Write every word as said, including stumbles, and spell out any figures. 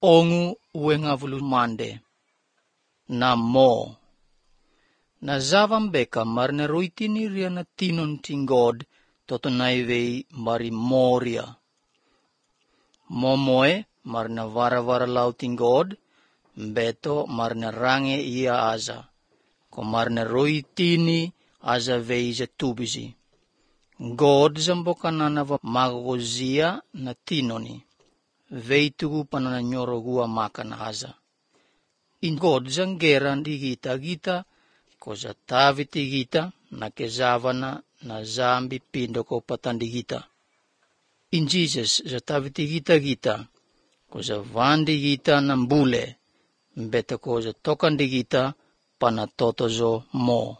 ongu uengavulu mande. Na mo. Na zavambeka marne roitini ria na tinon tingod totonaivei mari moria. Momoe marna vara-vara lau tingod, beto marna range ia aza, ko marna roitini aza veija tubisi. God zambokanana va magozia na tinoni, veitugu panana nyorogua makana aza. In God zangeran di gita gita, ko za taviti gita na kezavana na zambi pindo ko patandi gita. In Jesus za taviti gita gita, ko za vandi gita na mbule, beta ko za tokandi gita panatotozo mo.